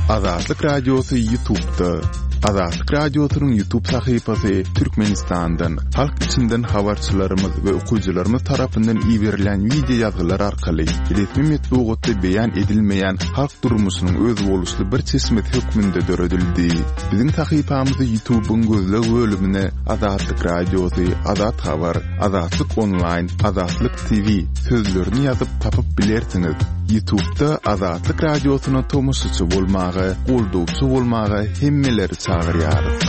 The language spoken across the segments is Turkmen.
Azatlyk Radiosy Ýutubda. Azatlyk Radiosynyň Ýutub sahypasy Türkmenistandan, halk içinden habarçylarymyz we okyjylarymyz tarapyndan iberilýän wideo ýazgylar arkaly resmi metbugatda beýan edilmeýän halk durmuşynyň özboluşly bir çeşmesi hökmünde döredildi. Biziň sahypamyzy Ýutubyň gözleg bölümine Azatlyk Radiosy, Azat Habar, Azatlyk Onlaýn, Azatlyk TV sözlerini ýazyp tapyp bilersiňiz. Ýutubda Azatlyk Radiosyna tomaşaçy bolmaga, goldawçy bolmaga hemmeleri çagyrýarys.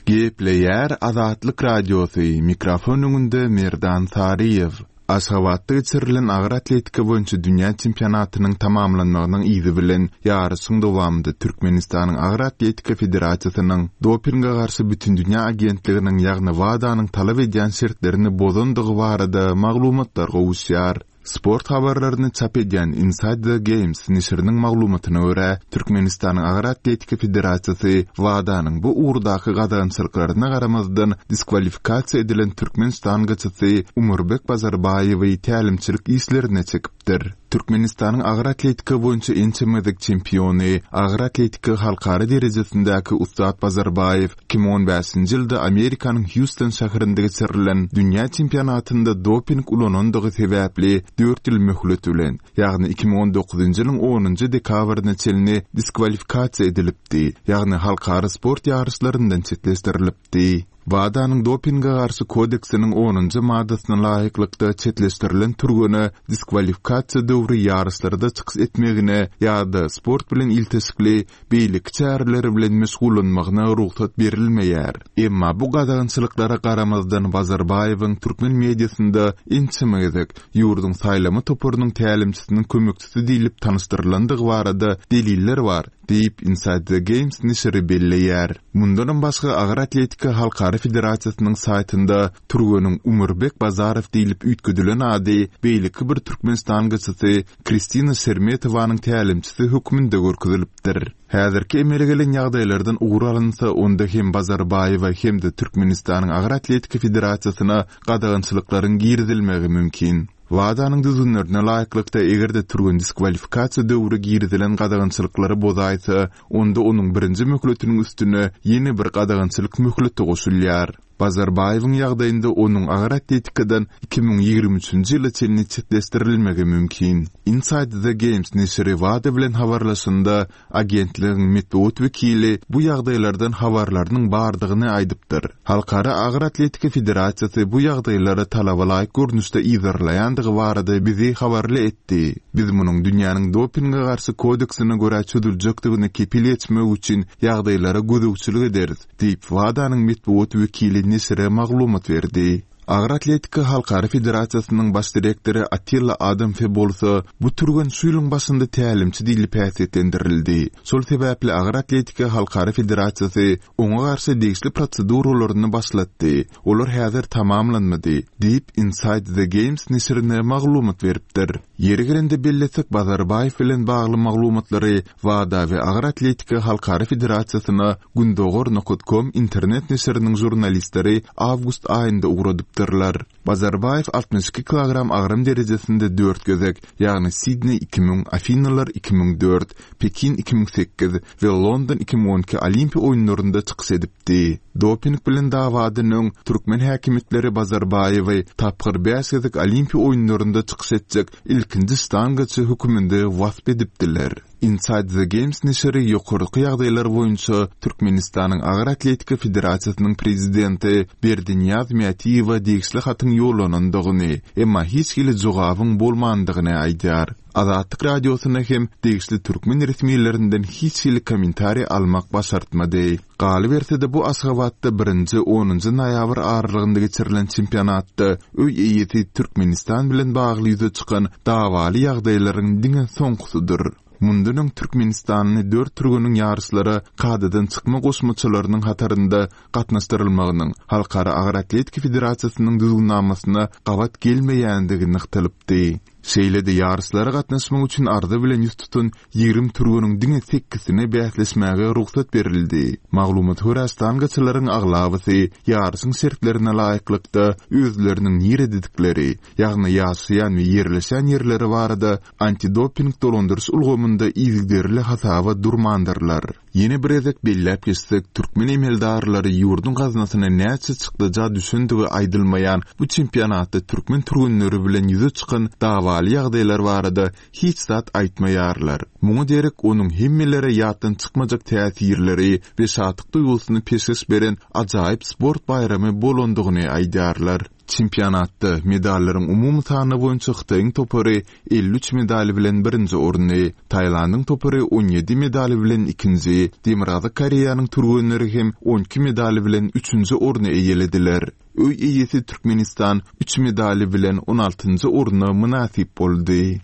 Gepleýär Azatlyk Radiosy, mikrofon öňünde Merdan Saryýew. Aşgabatda geçirilen agyr atletika boýunça dünýä çempionatynyň tamamlanmagynyň yzy bilen ýaryşyň dowamynda Türkmenistanyň Agyr atletika federasiýasynyň Dopinge garşy bütindünýä agentliginiň ýagny WADA-nyň talap edýän şertlerini bozandygy barada maglumatlar gowuşýar. Sport habarlaryny çap edýän Inside the Games neşiriniň maglumatyna görä, Türkmenistanyň Agyr atletika federasiýasy WADA-nyň bu ugurdaky gadagançylyklaryna garamazdan diskwalifikasiýa edilen türkmen ştangaçysy Umurbek Bazarbaýewi tälimçilik işlerine çekipdir. Türkmenistanyň agyr atletika boýunça ençeme gezek çempiony, agyr atletika halkara derejesindäki ussat Bazarbaýew 2015-nji ýylda Amerikanyň Hýuston şäherinde geçirilen dünýä çempionatynda doping ulanandygy sebäpli dört ýyl möhlet bilen, ýagny 2019-njy ýylyň onunjy dekabryna çenli diskwalifikasiýa edilipdi, ýagny halkara sport ýaryşlaryndan çetleşdirilipdi. WADA-nyň dopinge garşy kodeksiniň onunjy maddasyna laýyklykda çetleşdirilen türgene diskwalifikasiýa döwri ýaryşlarda çykyş etmegine ýa-da sport bilen ilteşikli beýleki çäreler bilen meşgullanmagyna rugsat berilmeýär. Emma bu gadagançylyklara garamazdan Bazarbaýewiň türkmen mediasynda ençeme gezek ýurduň saýlama toparynyň tälimçisiniň kömekçisi diýlip tanyşdyrylandygy barada deliller bar, diýip, Inside the Games neşiri belleýär. Mundanam başga Agyr atletika halkara federasiýasynyň saýtynda türgeniň Umurbek Bazarow diýlip üýtgedilen ady beýleki bir türkmen ştangaçysy Kristina Şermetowanyň tälimçisi hökmünde görkezilipdir. Häzirki emele gelen ýagdaýlardan ugur alynsa, onda hem Bazarbaýewa hem-de Türkmenistanyň Agyr atletika federasiýasyna gadagançylyklaryň girizilmegi mümkin. WADA-nyň düzgünlerine laýyklykda, eger-de türgen diskwalifikasiýa döwri girizilen gadagançylyklary bozaýsa, onda onuň birinji möhletiniň üstüne ýene bir gadagançylyk möhleti goşulýar. Bazarbaýewiň ýagdaýynda onuň agyr atletikadan 2023-nji ýyla çenli çetleşdirilmegi mümkin. Inside the Games neşiri WADA bilen habarlaşanda, Agentligiň metbugat wekili bu ýagdaýlardan habarlarynyň bardygyny aýdypdyr. Halkara agyr atletika federasiýasy bu ýagdaýlary talaba laýyk görnüşde yzarlaýandygy barada bizi habarly etdi. Biz munuň dünýäniň dopinge garşy kodeksine görä çözüljekdigine kepil geçmek üçin ýagdaýlara gözegçilik ederis, diýip, WADA-nyň metbugat wekili neşire maglumat berdi. Agyr atletika halkara federasiýasynyň baş direktory Attila Adamfe bolsa, bu türgen şu ýylyň başynda tälimçi diýlip häsiýetlendirildi. Şol sebäpli Agyr atletika halkara federasiýasy oňa garşy degişli proseduralaryny başlatdy. Olar häzir tamamlanmady, diýip, Inside the Games neşirine maglumat beripdir. Ýeri gelende bellesek, Bazarbaýew bilen bagly maglumatlary WADA we Agyr atletika halkara federasiýasyna Gündogar nokat kom internet neşiriniň žurnalistleri awgust aýynda ugradypdyrlar. Bazarbaýew 62 kilogram agram derejesinde dört gezek, ýagny Sidneý 2000, Afinalar 2004, Pekin 2008 we London 2012 Olimpiýa oýunlarynda çykyş edipdi. Doping bilen dawadan öň, türkmen häkimiýetleri Bazarbaýewi tapgyr bäş gezek Olimpiýa oýunlarynda çykyş etjek ilkinji ştangaçy höküminde wasp edipdiler. Inside the Games neşiri ýokarky ýagdaýlar boýunça Türkmenistanyň Agyr atletika federasiýasynyň prezidenti Berdinyýaz Mätiýewe degişli hatyň ýollanandygyny, emma hiç hili jogabyň bolmandygyny aýdýar. Azatlyk Radiosyna hem degişli türkmen resmilerinden hiç hili kommentariý almak başartmady. Galyberse-de, bu Aşgabatda birinji, onunjy noýabr aralygynda geçirilen çempionatda öý eýesi Türkmenistan bilen bagly ýüze çykan dawaly ýagdaýlaryň diňe soňkusydyr. Mundan öň türkmenistanly dört türgeniň ýaryşlara kadadan çykma goşmaçalarynyň hatarynda gatnaşdyrylmagynyň Halkara agyr atletika federasiýasynyň düzgünnamasyna gabat gelmeýändigi nygtalypdy. Şeýle-de ýaryşlara gatnaşmak üçin arza bilen ýüz tutan 20 türgeniň diňe sekizine bäsleşmäge rugsat berildi. Maglumata görä, ştangaçylaryň aglabasy ýaryşyň şertlerine laýyklykda özleriniň nirededikleri, ýagny ýaşaýan we ýerleşýän ýerleri barada antidoping dolandyryş ulgamynda yzygiderli hasaba durmandyrlar. Ýene bir gezek belläp geçsek, türkmen emeldarlary ýurduň gaznasyna näçe çykdaja düşendigi aýdylmaýan bu çempionatda türkmen türgenleri bilen ýüze çykan dawaly ýagdaýlar barada hiç zat aýtmaýarlar. Muňa derek onuň hemmelere ýatdan çykmajak täsirleri we şatlyk duýgusyny peşgeş beren ajaýyp sport baýramy bolandygyny aýdýarlar. Çempionatda medallaryň umumy sany boýunça Hytaýyň topary 53 medal bilen birinji orny, Tailandyň topary 17 medal bilen ikinji, Demirgazyk Koreýanyň türgenleri hem 12 medal bilen üçünji orny eýelediler. Öý eýesi Türkmenistan üç medal bilen on altynjy orna mynasyp boldy.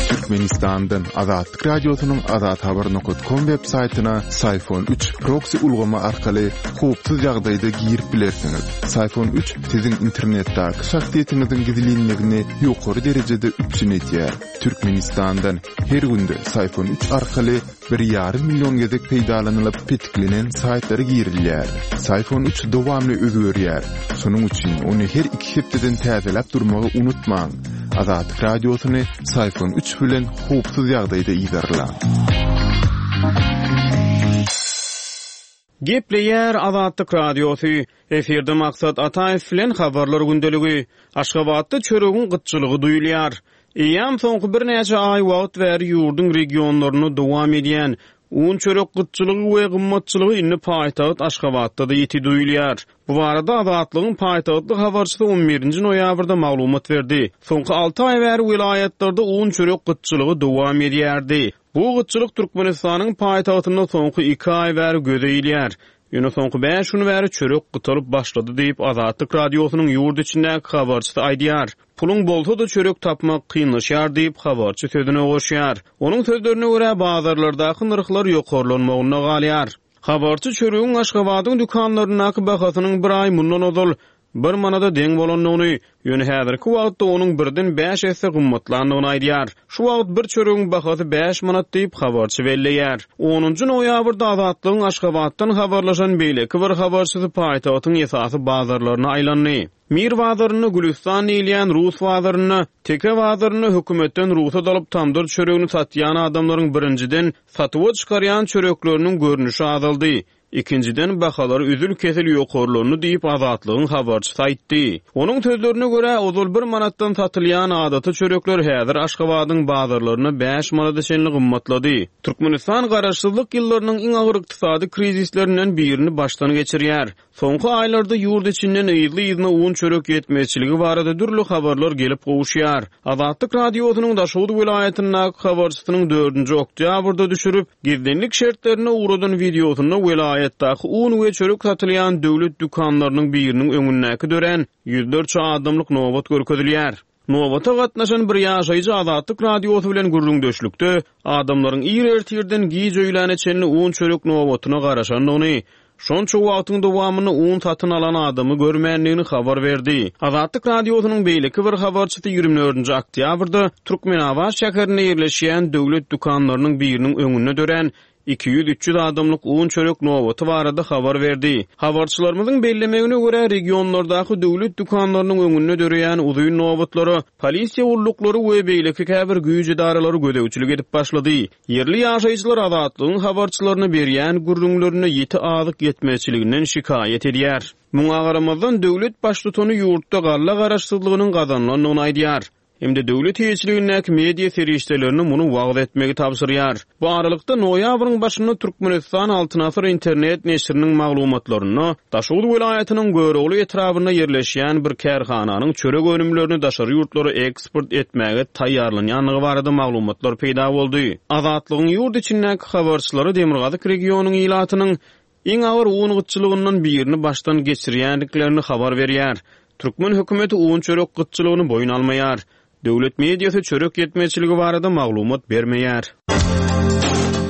Türkmenistandan Azatlyk Radiosynyň azathabar.com web saýtyna Syfon 3 proksi ulgamy arkaly howpsuz ýagdaýda girip bilersiňiz. Syfon 3 siziň internetdäki şahsyýetiňiziň gizlinligini ýokary derejede üpjün edýär. Türkmenistandan her günde Syfon 3 arkaly bir ýarym million gezek peýdalanylyp petiklenen saýtlara girilýär. Syfon 3 dowamly özgerýär. Şonuň üçin ony her iki hepdeden täzeläp durmagy unutmaň. Azatlyk Radiosyny Syfon 3 bilen howpsuz ýagdaýda yzarlaň. Gepleýär Azatlyk Radiosy, Efirde Maksat Ataýew bilen Habarlar gündeligi. Aşgabatda çöregiň gytçylygy duýulýar. Eýýäm soňky birnäçe aý wagt bäri ýurduň regionlarynda dowam edýän un-çörek gytçylygy we gymmatçylygy indi paýtagt Aşgabatda-da ýiti duýulýar. Bu barada Azatlygyň paýtagtly habarçysy on birinji noýabrda maglumat berdi. Soňky alty aý bäri welaýatlarda un-çörek gytçylygy dowam edýärdi. Bu gytçylyk Türkmenistanyň paýtagtynda soňky iki aý bäri göze ilýär. Ýöne soňky bäş gün bäri çörek gytalyp başlady diýip, Azatlyk Radiosynyň ýurt içindäki habarçysy aýdýar. Puluň bolsa-da çörek tapmak kynlaşýar diýip, habarçy sözüne goşýar. Onuň sözlerine görä, bazarlardaky nyrhlar ýokarlanmagynda galýar. Habarçy çöregiň Aşgabadyň dükanlaryndaky bahasynyň bir aý mundan ozal bir manada deň bolandygyny, ýöne häzirki wagtda onuň birden bäş esse gymmatlandygyny aýdýar. Şu wagt bir çöregiň bahasy bäş manat diýip, habarçy belleýär. Onunjy noýabrda Azatlygyň Aşgabatdan habarlaşan beýleki bir habarçysy paýtagtyň esasy bazarlaryna aýlandy. Mir bazarynda, Gülüstan diýilýän rus bazarynda, Teke bazarynda hökümetden rugsat alyp tamdyr çöregini satýan adamlaryň birinjiden, satuwa çykarýan çörekleriniň görnüşi azaldy. Ikinjiden, bahalar üzül-kesil ýokarlandy diýip, Azatlygyň habarçysy aýtdy. Onuň sözlerine görä, ozal bir manatdan satylýan adaty çörekler häzir Aşgabadyň bazarlarynda bäş manada çenli gymmatlady. Türkmenistan garaşsyzlyk ýyllarynyň iň agyr ykdysady krizislerinden birini başdan geçirýär. Soňky aýlarda ýurt içinden yzly-yzyna un-çörek ýetmezçiligi barada dürli habarlar gelip gowuşýar. Azatlyk Radiosynyň Daşoguz welaýatyndaky habarçysynyň dördünji oktýabrda düşürip, gizlinlik şertlerinde ugradan wideosynda welaýatdaky un we çörek satylýan döwlet dükanlarynyň biriniň öňündäki dörän ýüzlerçe adamlyk nobat görkezilýär. Nobata gatnaşan bir ýaşaýjy Azatlyk Radiosy bilen gürrüňdeşlikde adamlaryň ir ertirden giç öýläne çenli un-çörek nobatyna garaşandygyny, şonça wagtyň dowamynda un satyn alan adamy görmändigini habar berdi. Azatlyk Radiosynyň beýleki bir habarçysy ýigrimi dördünji oktýabrda Türkmenabat şäherinde ýerleşýän döwlet dükanlarynyň biriniň öňünde dörän 200-300 adamlyk un-çörek nobaty barada habar berdi. Habarçylarymyzyň bellemegine görä, regionlardaky döwlet dükanlarynyň öňünde döreýän uzyn nobatlara polisiýa gulluklary we beýleki käbir güýç edaralary gözegçilik edip başlady. Ýerli ýaşaýjylar Azatlygyň habarçylaryna berýän gürrüňlerinde ýiti azyk ýetmezçiliginden şikaýat edýär. Muňa garamazdan, döwlet baştutany ýurtda galla garaşsyzlygynyň gazanylandygyny aýdýar. Hem-de döwlet eýeçiligindäki media serişdelerine muny wagyz etmegi tabşyrýar. Bu aralykda, noýabryň başynda Türkmenistan Altyn asyr internet neşiriniň maglumatlarynda Daşoguz welaýatynyň Görogly etrabynda ýerleşýän bir kärhananyň çörek önümlerini daşary ýurtlara eksport etmäge taýýarlanýandygy barada maglumatlar peýda boldy. Azatlygyň ýurt içindäki habarçylary demirgazyk regionyň ilatynyň Iň agyr un gytçylygyndan birini başdan geçirýändiklerini habar berýär. Türkmen hökümeti un-çörek gytçylygyny boýun almaýar. Döwlet mediasy çörek ýetmezçiligi barada maglumat bermeýär.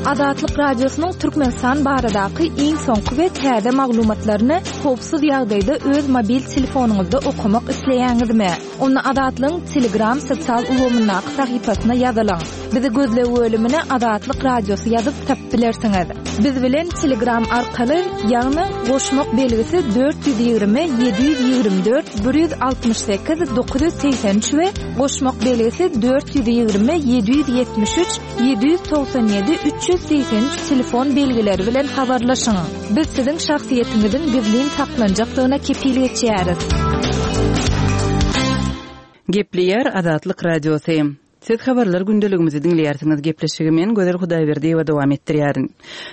Azatlyk Radiosynyň Türkmenistan baradaky iň soňky we täze maglumatlaryny howpsuz ýagdaýda öz mobil telefonyňyzda okamak isleýäňizmi? Onda Azatlygyň Telegram sosial ulgamyndaky sahypasyna ýazylyň. Bizi gözleg bölümine Azatlyk Radiosy ýazyp tapyp bilersiňiz. Biz bilen Telegram arkaly, ýagny goşmak belgisi 420 724 168 983 we goşmak belgisi 420 773 797 383 telefon belgileri bilen habarlaşyň. Biz siziň şahsyýetiňiziň gizlin saklanjakdygyna kepil geçýäris. Gepleýär Azatlyk Radiosy. Siz habarlar gündeligimizi diňleýärsiňiz. Gepleşigi men, Gözel Hudaýberdiýewa dowam etdirýärin.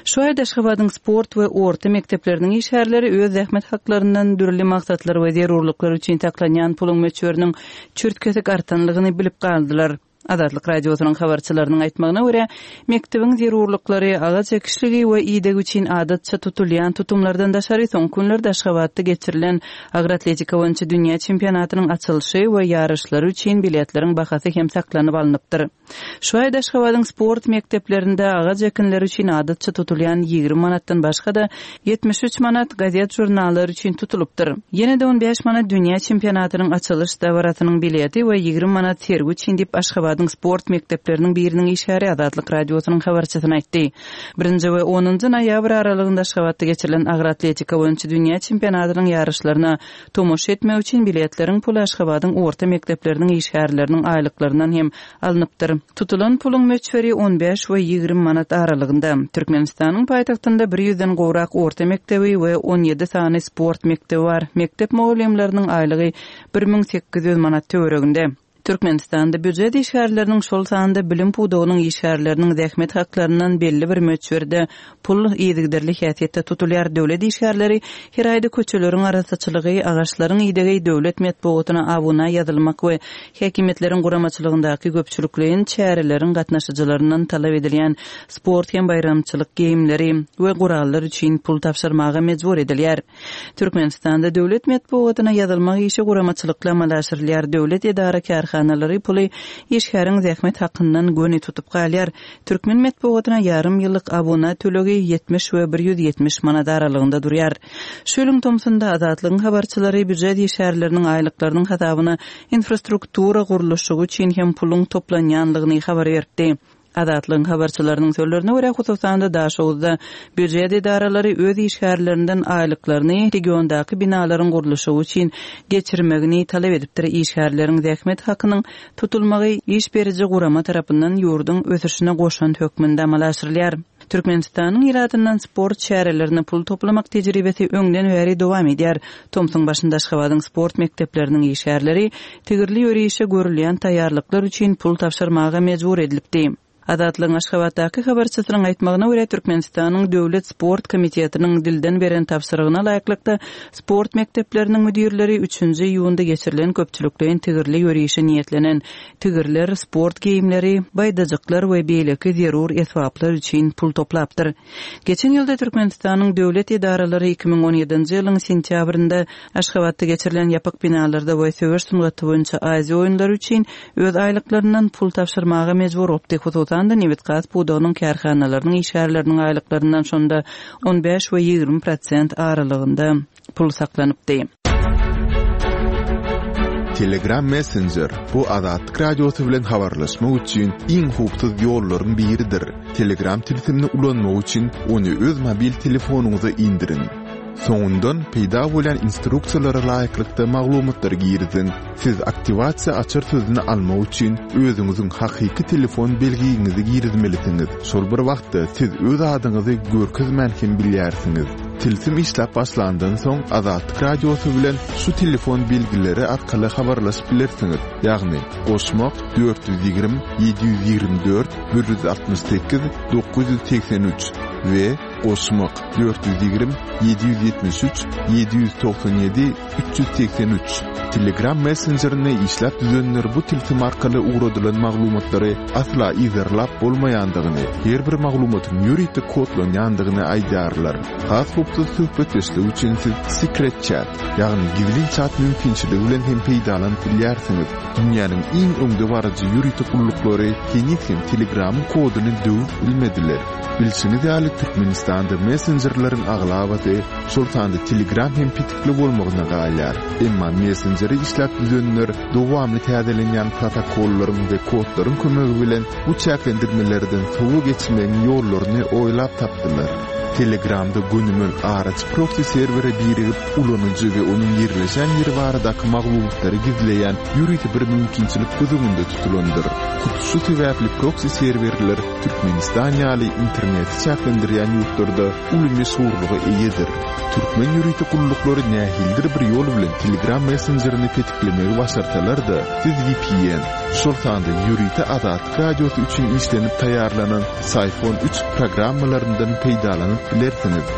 Şu aýda Aşgabadyň sport we orta mekdepleriniň işgärleri öz zähmet haklaryndan dürli maksatlar we zerurlyklar üçin saklanýan puluň möçberiniň çürt-kesik artanlygyny bilip galdylar. Azatlyk Radiosynyň habarçylarynyň aýtmagyna görä, mekdebiň zerurlyklary, agaç ekişligi we idegi üçin adatça tutulýan tutumlardan daşary soňky günlerde Aşgabatda geçirilen agyr atletika boýunça dünýä çempionatynyň açylyşy we ýaryşlary üçin biletleriň bahasy hem saklanyp alnypdyr. Şu aýda Aşgabadyň sport mekdeplerinde agaç ekinleri üçin adatça tutulýan 20 manatdan başga-da, 73 manat gazet-žurnallar üçin tutulypdyr. Ýene-de 15 manat dünýä çempionatynyň açylyş dabarasynyň bileti we 20 manat sergi üçin diýip, Aşgabadyň sport mekdepleriniň biriniň işgäri Azatlyk Radiosynyň habarçysyna aýtdy. Birinji we onunjy noýabr aralygynda Aşgabatda geçirilen agyr atletika boýunça dünýä çempionatynyň ýaryşlaryna tomaşa etmek üçin biletleriň puly Aşgabadyň orta mekdepleriniň işgärleriniň aýlyklaryndan hem alnypdyr. Tutulan puluň möçberi on bäş we 20 manat aralygynda. Türkmenistanyň paýtagtynda bir ýüzden gowrak orta mekdebi we on ýedi sany sport mekdebi bar. Mekdep mugallymlarynyň aýlygy 1800 manat töwereginde. Türkmenistanda býujet işgärleriniň, şol sanda bilim pudagynyň işgärleriniň zähmet haklaryndan belli bir möçberde pul yzygiderli häsiýetde tutulýar. Döwlet işgärleri her aýda köçeleriň arassaçylygy, agaçlaryň idegi, döwlet metbugatyna abuna ýazylmak we häkimiýetleriň guramaçylygyndaky köpçülikleýin çäreleriň gatnaşyjylaryndan talap edilýän sport hem baýramçylyk geýimleri we gurallar üçin pul tabşyrmaga mejbur edilýär. Türkmenistanda döwlet metbugatyna ýazylmak işi guramaçylykly amala aşyrylýar. Döwlet edara-kärhanalary puly işgäriň zähmet hakyndan göni tutup galýar. Türkmen metbugatyna ýarym ýyllyk abuna tölegi 70 we 170 manat aralygynda durýar. Şu ýylyň tomsunda Azatlygyň habarçylary býujet işgärleriniň aýlyklarynyň hasabyna infrastruktura gurluşygy üçin hem puluň toplanýanlygyny habar beripdi. Azatlygyň habarçylarynyň sözlerine görä, hususan-da, Daşoguzda býujet edaralary öz işgärlerinden aýlyklaryny regiondaky binalaryň gurluşygy üçin geçirmegini talap edipdir. Işgärleriň zähmet hakynyň tutulmagy iş beriji gurama tarapyndan ýurduň ösüşine goşant hökmünde amala aşyrylýar. Türkmenistanyň ilatyndan sport çärelerine pul toplamak tejribesi öňden bäri dowam edýär. Tomsuň başynda Aşgabadyň sport mekdepleriniň işgärleri tigirli ýörişe görülýän taýýarlyklar üçin pul tabşyrmaga mejbur edilipdi. Azatlygyň Aşgabatdaky habarçysynyň aýtmagyna görä, Türkmenistanyň Döwlet sport komitetiniň dilden beren tabşyrygyna laýyklykda, sport mekdepleriniň müdirleri üçünji iýunda geçirilen köpçülikleýin tigirli ýörişe niýetlenen tigirler, sport geýimleri, baýdajyklar we beýleki zerur esbaplar üçin pul toplapdyr. Geçen ýylda Türkmenistanyň döwlet edaralary 2017-nji ýylyň sentýabrynda Aşgabatda geçirilen ýapyk binalarda we söweş sungaty boýunça Aziýa oýunlary üçin öz aýlyklaryndan pul tabşyrmaga mejbur bolupdy, hususan-da, nebitgaz pudagynyň kärhanalarynyň işgärleriniň aýlyklaryndan şonda on bäş we 20 prosent aralygynda pul saklanypdy. Telegram Messenger, bu Azatlyk Radiosy bilen habarlaşmak üçin iň howpsuz ýollaryň biridir. Telegram tilsimini ulanmak üçin ony öz mobil telefonyňyza indiriň. Soňundan peýda bolýan instruksiýalara laýyklykda maglumatlary giriziň. Siz aktiwasiýa açar sözüni almak üçin özüňiziň hakyky telefon belgiňizi girizmelisiňiz. Şol bir wagtda siz öz adyňyzy görkezmän hem bilýärsiňiz. Tilsim işläp başlandan soň Azatlyk Radiosy bilen şu telefon belgileri arkaly habarlaşyp bilersiňiz, ýagny, goşmak, 420 724 168 983 we. Goşmak, 420 773 797 383. Telegram messenjerini işläp düzenler bu tilsim arkaly ugradylan maglumatlary asla yzarlap bolmaýandygyny, her bir maglumatyň ýörite kodlanýandygyny aýdýarlar. Has howpsuz söhbetdeşlik üçin siz Secret Chat, ýagny gizlin çat mümkinçiligi bilen hem peýdalanyp bilýärsiňiz. Dünýäniň iň öňdebaryjy ýörite gulluklary heniz hem Telegramyň koduny döwüp bilmediler. Bilşiňiz ýaly, Türkmenistanda messenjerleriň aglabasy, şol sanda Telegram hem petikli bolmagyna galýar. Emma messenjeri işläp düzenler dowamly täzelenýän protokollaryň we kodlaryň kömegi bilen bu çäklendirmelerden sowa geçmegiň ýollaryny oýlap tapdylar. Telegramda gönümel araçy proksi serwere birigip, ulanyjy we onuň ýerleşen ýeri baradaky maglumatlary gizleýän ýörite bir mümkinçilik göz öňünde tutulandyr. Hut şu sebäpli proksi serwerler Türkmenistan ýaly interneti çäklendirýän ýurtlarda uly meşhurlyga eýedir. Türkmen ýörite gulluklary nähilidir bir ýol bilen Telegram messenjerini petiklemegi başarsalar-da, siz vpn, şol sanda ýörite Azatlyk Radiosy üçin işlenip taýýarlanan Syphon üç programmalaryndan peýdalanyp bilersiňiz.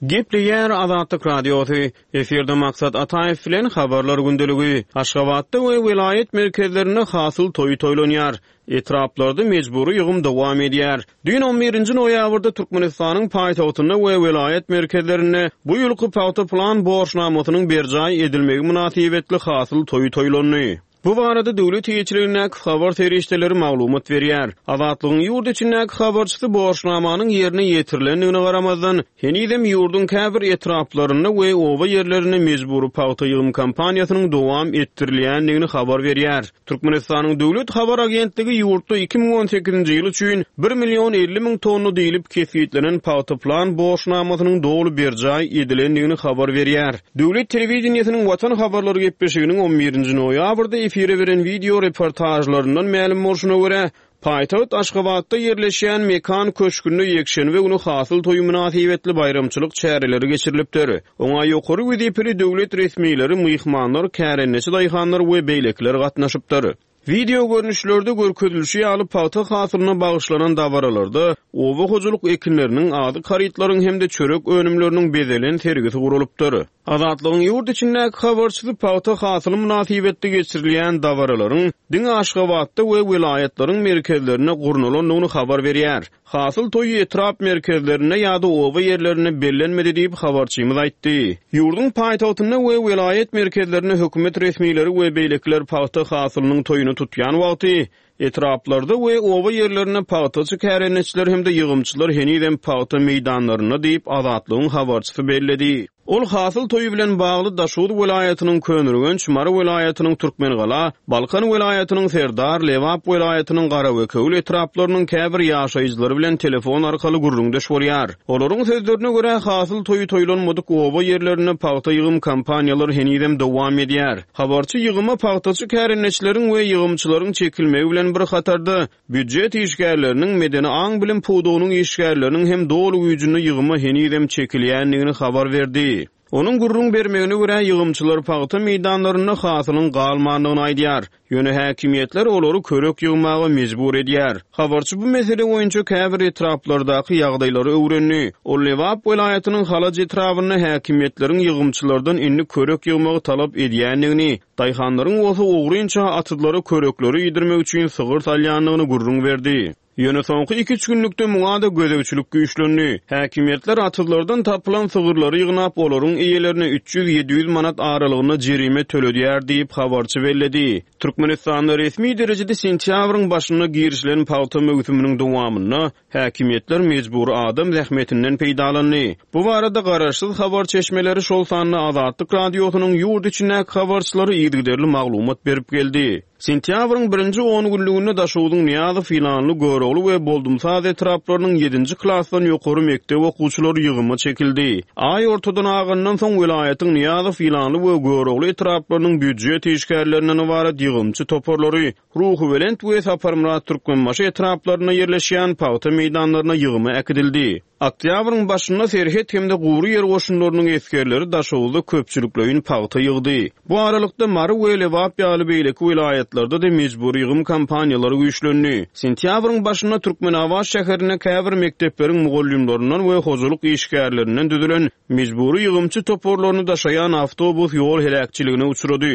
Gepleýär Azatlyk Radiosy, Efirde Maksat Ataýew bilen Habarlar gündeligi. Aşgabatda we welaýat merkezlerinde hasyl toýy toýlanýar. Etraplarda mejbury ýygym dowam edýär. Düýn on birinji noýabrda Türkmenistanyň paýtagtynda we welaýat merkezlerinde bu ýylky pagta plan borçnamasynyň berjaý edilmegi mynasybetli hasyl toýy toýlandy. Bu barada döwlet eýeçiligindäki habar serişdeleri maglumat berýär. Azatlygyň ýurt içindäki habarçysy borçnamanyň ýerine ýetirilendigine garamazdan, henizem ýurduň käbir etraplarynda we oba ýerlerinde mejbury pagta ýygym kampaniýasynyň dowam etdirilýändigini habar berýär. Türkmenistanyň döwlet habar agentligi ýurtda 2018-nji ýyl üçin bir million 50 müň tonna diýlip kesgitlenen pagta plan borçnamasynyň doly berjaý edilendigini habar berýär. Döwlet telewideniýesiniň Watan habarlary gepleşiginiň on birinji noýabrda efire beren wideo reportažlaryndan mälim bolşuna görä, paýtagt Aşgabatda ýerleşýän Mekan köşgünde ýekşenbe güni Hasyl toýy mynasybetli baýramçylyk çäreleri geçirilipdir. Oňa ýokary wezipeli döwlet resmileri, myhmanlar, kärendeçi daýhanlar we beýlekiler gatnaşypdyr. Wideo görnüşlerde görkezilişi ýaly, pagta hasylyna bagyşlanan dabaralarda oba hojalyk ekinleriniň, azyk harytlaryň hem-de çörek önümleriniň bezelen sergisi guralypdyr. Azatlygyň ýurt içindäki habarçysy pagta hasyly mynasybetli geçirilýän dabaralaryň diňe Aşgabatda we welaýatlaryň merkezlerinde gurnalandygyny habar berýär. Hasyl toýy etrap merkezlerinde ýa-da oba ýerlerinde bellenmedi diýip, habarçymyz aýtdy. Ýurduň paýtagtynda we welaýat merkezlerinde hökümet resmileri we beýlekiler pagta hasylynyň toýuny tutýan wagty, etraplarda we oba ýerlerinde pagtaçy kärendeçiler hem-de ýygymçylar henizem pagta meýdanlarynda diýip, Azatlygyň habarçysy belledi. Ol hasyl toýy bilen bagly Daşoguz welaýatynyň Köneürgenç, Mary welaýatynyň Türkmengala, Balkan welaýatynyň Serdar, Lebap welaýatynyň Garabekewül etraplarynyň käbir ýaşaýjylary bilen telefon arkaly gürrüňdeş bolýar. Olaryň sözlerine görä, hasyl toýy toýlanmadyk oba ýerlerinde pagta ýygym kampaniýalary henizem dowam edýär. Habarçy ýygyma pagtaçy kärendeçileriň we ýygymçylaryň çekilmegi bilen bir hatarda, Býujet işgärleriniň, medeni aň-bilim pudagynyň işgärleriniň hem doly güýjünde ýygyma henizem çekilýändigini habar berdi. Onuň gürrüň bermegine görä, ýygymçylar pagta meýdanlarynda hasylyň galmandygyny aýdýar. Ýöne häkimiýetler olary körek ýygmaga mejbur edýär. Habarçy bu mesele boýunça käbir etraplardaky ýagdaýlary öwrendi. Ol Lebap welaýatynyň Halaç etrabynda häkimiýetleriň ýygymçylardan indi körek ýygmagy talap edýändigini, Daýhanlaryň bolsa ogrynça atyzlara körekleri iýdirmek üçin sygyr salýandygyny gürrüň berdi. Ýöne soňky iki-üç günlükde muňa-da gözegçilik güýçlendi. Häkimiýetler atyzlardan tapylan sygyrlary ýygnap, olaryň eýelerine 300-700 manat aralygynda jerime töledýär diýip, habarçy belledi. Türkmenistanda resmi derejede sentýabryň başynda girişilen pagta möwsüminiň dowamynda Häkimiýetler mejbury adam zähmetinden peýdalandy. Bu barada garaşsyz habar çeşmeleri, şol sanda Azatlyk Radiosynyň ýurt içindäki habarçylary yzygiderli maglumat berip geldi. Sentýabryň birinji ongünlüginde Daşogzuň Nyýazow, Ýylanly, Görogly we Boldumsaz etraplarynyň ýedinji klasdan ýokary mekdep okuwçylary ýygyma çekildi. Aý ortadan agandan soň welaýatyň Nyýazow, Ýylanly we Görogly etraplarynyň býujet işgärlerinden ybarat. ýygymçy toparlary Ruhubelent we Saparmyrat Türkmenbaşy etraplarynda ýerleşýän pagta meýdanlaryna ýygyma äkidildi. Oktýabryň başynda serhet hem-de gury ýer goşunlarynyň esgerleri Daşoguzda köpçülikleýin pagta ýygdy. Bu aralykda, Mary we Lebap ýaly beýleki welaýatlarda-da mejbury ýygym kampaniýalary güýçlendi. Sentýabryň başynda Türkmenabat şäherinde käbir mekdepleriň mugallymlaryndan we hojalyk işgärlerinden düzülen mejbury ýygymçy toparlaryny daşaýan awtobus ýol heläkçiligine uçrady.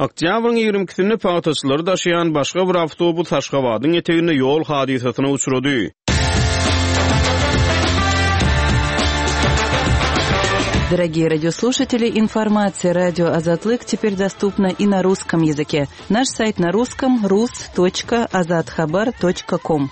Oktýabryň ýigrimi ikisinde pagtaçylary daşaýan başga bir awtobus Aşgabadyň eteginde ýol hadysasyna uçrady. Дорогие радиослушатели, информация радио Азатлык теперь доступна и на русском языке. Наш сайт на русском rus.azathabar.com.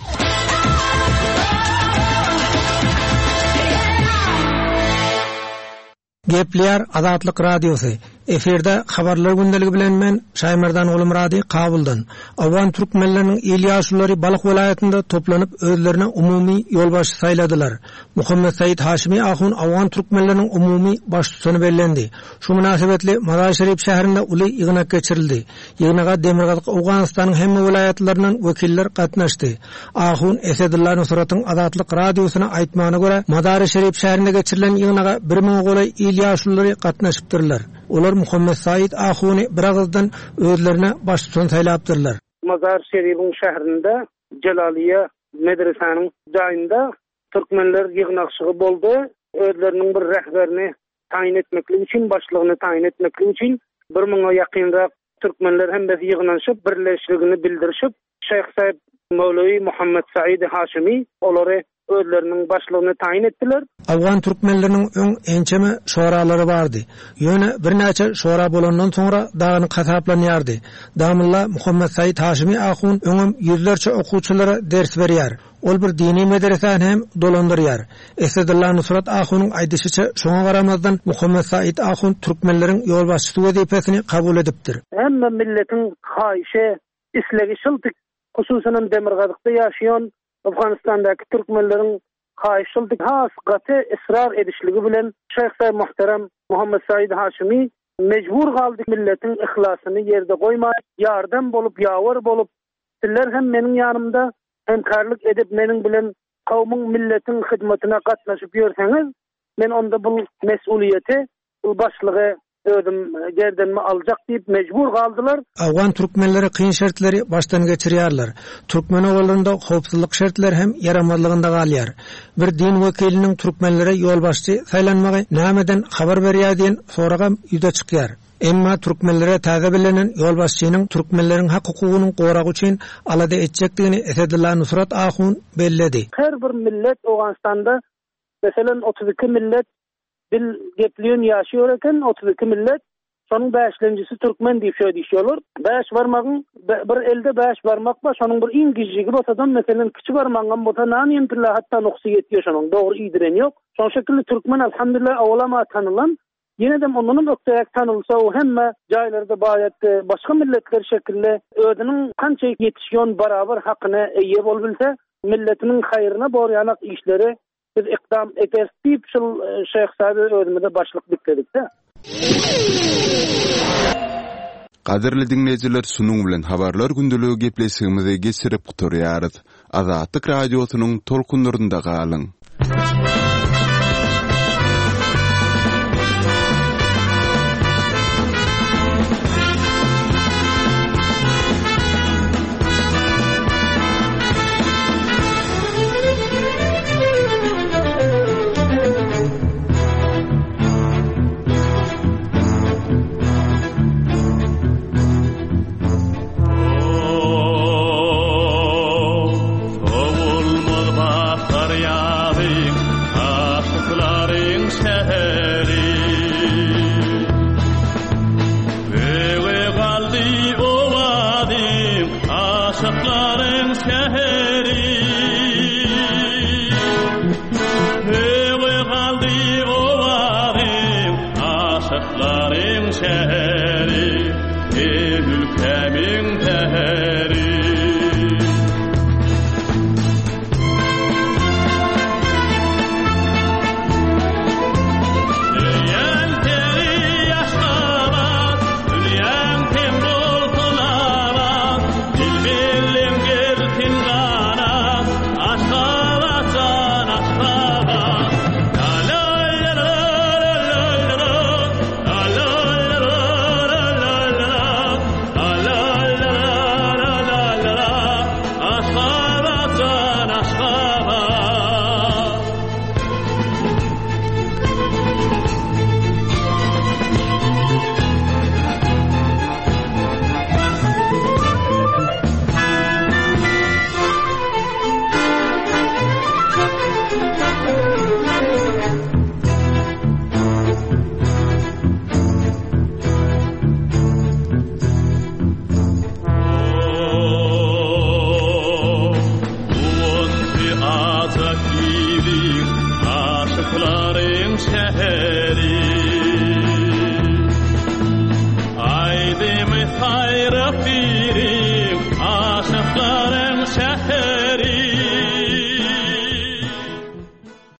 Gepleýär Azatlyk Radiosy, Efirde Habarlar gündeligi bilen men, Şaýmerdan Gulumyrady, Kabuldan. Owgan türkmenleriniň il ýaşululary Balh welaýatynda toplanyp özlerine umumy ýolbaşçy saýladylar. Muhammet Said Haşimi ahun owgan türkmenleriniň umumy baştutany bellendi. Şu mynasybetli Mazar-Şerif şäherinde uly ýygnak geçirildi. Ýygnaga Demirgazyk Owganystanyň hemme welaýatlaryndan wekiller gatnaşdy. Ahun Esedulla Nusratyň Azatlyk Radiosyna aýtmagyna görä, Mazary-Şerif şäherinde geçirilen ýygnaga bir müňe golaý il ýaşululary gatnaşypdyrlar. Olar Muhammet Said ahuny biragyzdan özlerine baştutan saýlapdyrlar. Mazar-Şeribiň şäherinde Jelaliýe medresäniň jaýynda türkmenler ýygnakşygy boldy. Özleriniň bir rehberini taýyn etmeklik üçin, başlygyny taýyn etmeklik üçin bir müňe ýakynrak türkmenler hemmesi ýygnanyşyp, birleşligini bildirişip, Şeýh Said Mowlewi Muhammet Saidi Haşimi olary özleriniň başlygyny taýyn etdiler. Owgan türkmenleriniň öň ençeme şoralary bardy. Ýöne birnäçe şora bolandan soňra dagynyk hasaplanýardy. Damylla Muhammet Said Haşimi ahun öňem ýüzlerçe okuwçylara ders berýär. Ol bir dini medresäni hem dolandyrýar. Esedulla Nusrat ahunyň aýdyşyça, şoňa garamazdan Muhammet Said ahun türkmenleriň ýolbaşçysy wezipesini kabul edipdir. Hemme milletiň haýyşy, islegi şuldy, hususanam demirgazykda ýaşaýan Owganystandaky türkmenleriň haýyşy şuldy. Has gaty ysrar edişligi bilen Şeýh Said Muhterem Muhammet Said Haşimi mejbur galdy milletiň yhlasyny ýerde goýman, ýardam bolup, ýawer bolup, sizler hem meniň ýanymda Hemkarlyk edip meniň bilen kowmuň milletiň hyzmatyna gatnaşyp ýörseňiz, men onda bul mes'ulyýeti, bul başlygy özüm gerdenime aljak diýip mejbur galdylar. Owgan türkmenleri kyn şertleri başdan geçirýärler. Türkmen obalarynda howpsuzlyk şertleri hem ýaramazlygynda galýar. Bir din wekiliniň türkmenlere ýolbaşçy saýlanmagy nämeden habar berýär diýen soragam ýüze çykýar. Emma türkmenlere täze bellenen ýolbaşçynyň türkmenleriň hak-hukugynyň goragy üçin alada etjekdigini Esedulla Nusrat ahun belledi. Her bir millet Owganystanda meselem 32 millet dil gepleýän ýaşaýar eken 32 millet şonuň bäşlenjisi türkmen diýip şöý diýişýärler. Bäş barmagyň bir elde bäş barmak bar şonuň bir iň gijigi bolsadam meselem kiçi barmagyňam bolsa nanyň pille hatda nuksy ýetýär şonuň dogry iýdiren ýok. Şoň şekilli türkmen alhamdulillah owalam-a tanylan Ýenedem ondanam ökderäk tanylsa o hemme jaýlarda baýat başga milletler şekilli özüniň kança ýetişýon barabar hakyna eýe bolubilse milletiniň haýryna borýanak işleri biz ykdam ederis diýip şul Şeýh Saýby özümize başlyk dikledikdä. Gadyrly diňleýjiler şunuň bilen habarlar gündeligi gepleşigimizi geçirip gutarýarys. Azatlyk Radiosynyň tolkunlarynda galyň! şäheri.